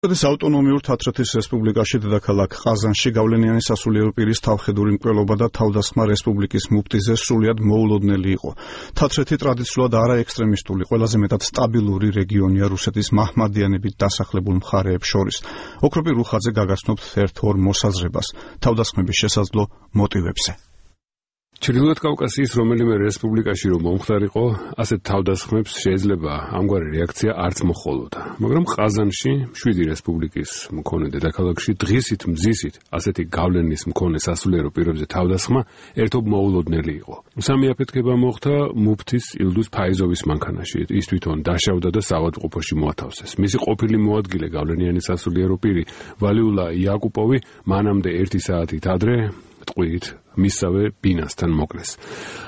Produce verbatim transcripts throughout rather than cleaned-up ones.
ეს ავტონომიურ თათრეთის რესპუბლიკაში დედაქალაქ ყაზანში გავლენიანი სასულიერო პირის თავხედური მკვლელობა და თავდასხმა რესპუბლიკის მუფტიზე სრულიად მოულოდნელი იყო. თათრეთი ტრადიციულად არაექსტრემისტული, ყველაზე მეტად სტაბილური რეგიონია რუსეთის მაჰმადიანებით დასახლებულ მხარეებს შორის. ოქროპი რუხაძე გაგაცნობთ ერთ-ორ მოსაზრებას თავდასხმების შესაძლო მოტივებზე. ჩრდილოეთ კავკასიის რომელიმე რესპუბლიკაში რომ მომხდარიყო, ასეთ თავდასხმებს შეიძლება ამგვარი რეაქცია არც მოჰყოლოდა. მაგრამ ყაზანში, შვიდი რესპუბლიკის მქონე დედაქალაქში, დღისით მზისით ასეთი გავლენის მქონე სასულიერო პირებზე თავდასხმა ერთობ მოულოდნელი იყო. სამი აფეთქება მოხდა მუფთის ილდუს ფაიზოვის მანქანაში. ის თვითონ დაშავდა და საავადმყოფოში მოათავსეს. მისი ყოფილი მოადგილე გავლენიანი სასულიერო პირი ვალიულა იაკუპოვი მანამდე ერთი საათით ადრე ტყვიით მისავე ბინასთან მოკლეს.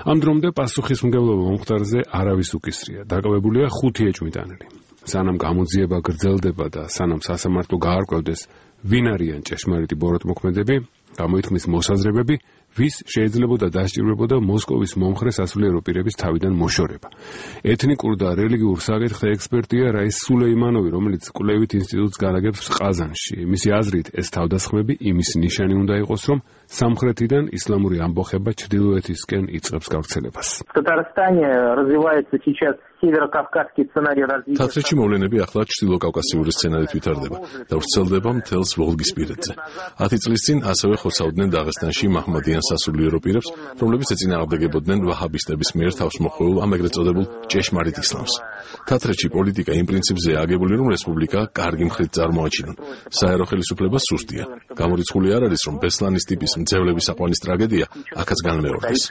ამ დრომდე პასუხისმგებლობა მომხდარზე არავის უკისრია. დაკავებულია ხუთი ეჭვმიტანილი. სანამ გამოძიება გრძელდება და სანამ სასამართლო გაარკვევდეს, ვინ არიან ჭეშმარიტი ბოროტმოქმედები, გამოითქმის მოსაზრებები, ვის შეიძლებოდა დასჭირვებოდა მოსკოვის მომხრე სასულიერო პირების თავიდან მოშორება. ეთნიკურ და რელიგიურ საკითხთა ექსპერტია რაის სულეიმანოვი, რომელიც კვლევით ინსტიტუტს განაგებს ყაზანში. მისი აზრით, ეს თავდასხმები იმის ნიშანი უნდა იყოს, რომ სამხრეთიდან ისლამური ამბოხება ჩრდილოეთისკენ იწყებს გავრცელებას. თათრეთში მოვლენები ახლა ჩრდილოკავკასიური სცენარით ვითარდება და ვრცელდება მთელს ვოლგისპირეთზე. ათი წლის წინ ასევე ხოცავდნენ დაღესტანში მაჰმადიან სასულიერო პირებს, რომლებიც ეწინააღმდეგებოდნენ ვაჰაბისტების მიერ თავს მოხვეულ ამ ეგრეთ წოდებულ ჭეშმარიტ ისლამს. თათრეთში პოლიტიკა იმ პრინციპზეა აგებული, რომ რესპუბლიკა კარგი მხრით წარმოაჩინონ. საერო ხელისუფლება სუსტია. გამორიცხული არ არის, რომ ბესლანის ტიპის მძევლების აყვანის ტრაგედია აქაც განმეორდეს.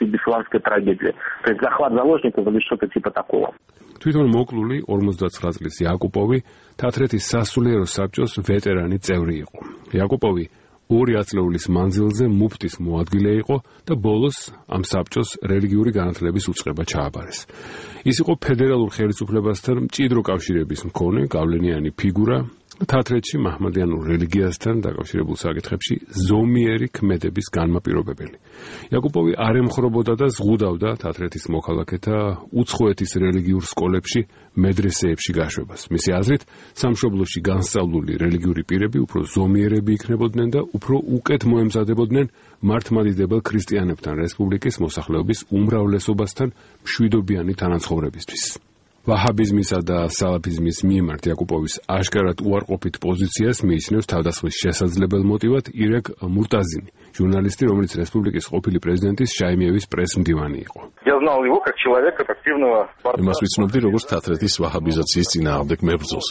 თვითონ მოკლული ორმოცდაცხრა წლის იაკუპოვი თათრეთის სასულიერო საბჭოს ვეტერანი წევრი იყო. იაკუპოვი ორი ათწლეულის მანძილზე მუფტის მოადგილე იყო და ბოლოს ამ საბჭოს რელიგიური განათლების უწყება ჩააბარეს. ის იყო ფედერალურ ხელისუფლებასთან მჭიდრო კავშირების მქონე გავლენიანი ფიგურა. თათრეთში მაჰმადიანურ რელიგიასთან დაკავშირებულ საკითხებში ზომიერი ქმედების განმაპირობებელი. იაკუპოვი არ ემხრობოდა და ზღუდავდა თათრეთის მოქალაქეთა უცხოეთის რელიგიურ სკოლებში, მედრესეებში გაშვებას. მისი აზრით, სამშობლოში განსწავლული რელიგიური პირები უფრო ზომიერები იქნებოდნენ და უფრო უკეთ მოემზადებოდნენ მართლმადიდებელ ქრისტიანებთან რესპუბლიკის მოსახლეობის უმრავლესობასთან მშვიდობიანი თანაცხოვრებისთვის. ვაჰაბიზმისა და სალაფიზმის მიმართ იაკუპოვის აშკარად უარყოფით პოზიციას მიიჩნევს თავდასხმის შესაძლებელ მოტივად ირაკ მურტაზინი, ჟურნალისტი, რომელიც რესპუბლიკის ყოფილი პრეზიდენტის შაიმიევის პრესმდივანი იყო. იმას ვიცნობდი, როგორც თათრეთის ვაჰაბიზაციის წინააღმდეგ მებრძოლს.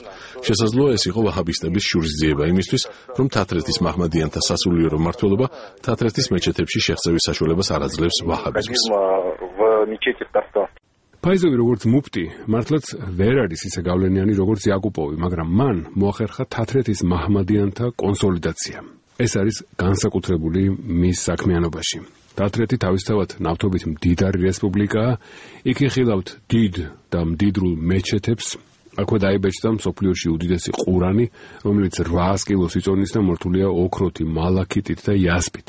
შესაძლოა ეს იყო ვაჰაბისტების შურისძიება იმისთვის, რომ თათრეთის მაჰმადიანთა სასულიერო მმართველობა თათრეთის მეჩეთებში შეღწევის საშუალებას არ აძლევს ვაჰაბიზმს. ფაიზოვი როგორც მუფტი, მართლაც ვერ არის ისე გავლენიანი როგორც იაკუპოვი, მაგრამ მან მოახერხა თათრეთის მაჰმადიანთა კონსოლიდაცია. ეს არის განსაკუთრებული მის საქმიანობაში. თათრეთი თავისთავად ნავთობით მდიდარი რესპუბლიკაა, იქ იხილავთ დიდ და მდიდრულ მეჩეთებს, აქვე დაიბეჭდა მსოფლიოში უდიდესი ყურანი, რომელიც რვაას კილოს იწონის და მორთულია ოქროთი, მალაქიტით და იასპით.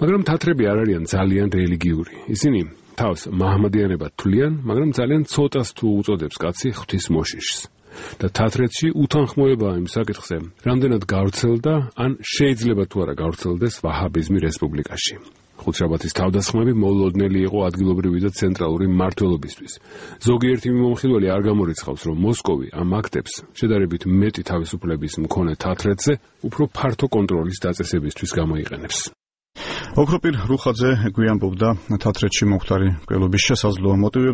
მაგრამ თათრები არ არიან ძალიან რელიგიური. ისინი თავს მაჰმადიანებად თვლიან, მაგრამ ძალიან ცოტას თუ უწოდებს კაცი ღვთის მოშიშს. და თათრეთში უთანხმოებაა იმ საკითხზე, რამდენად გავრცელდა, ან შეიძლება თუ არა გავრცელდეს ვაჰაბიზმი რესპუბლიკაში. ხუთშაბათის თავდასხმები მოულოდნელი იყო ადგილობრივი და ცენტრალური მმართველობისთვის. ზოგიერთი მიმომხილველი არ გამორიცხავს, რომ მოსკოვი ამ აქტებს შედარებით მეტი თავისუფლების მქონე თათრეთზე უფრო ფართო კონტროლის დაწესებისთვის გამოიყენებს. ოქროპი რუხაძე გვიანბობდა თათრეთში მომხდარი მკვლელობის შესაძლო მოტივებს.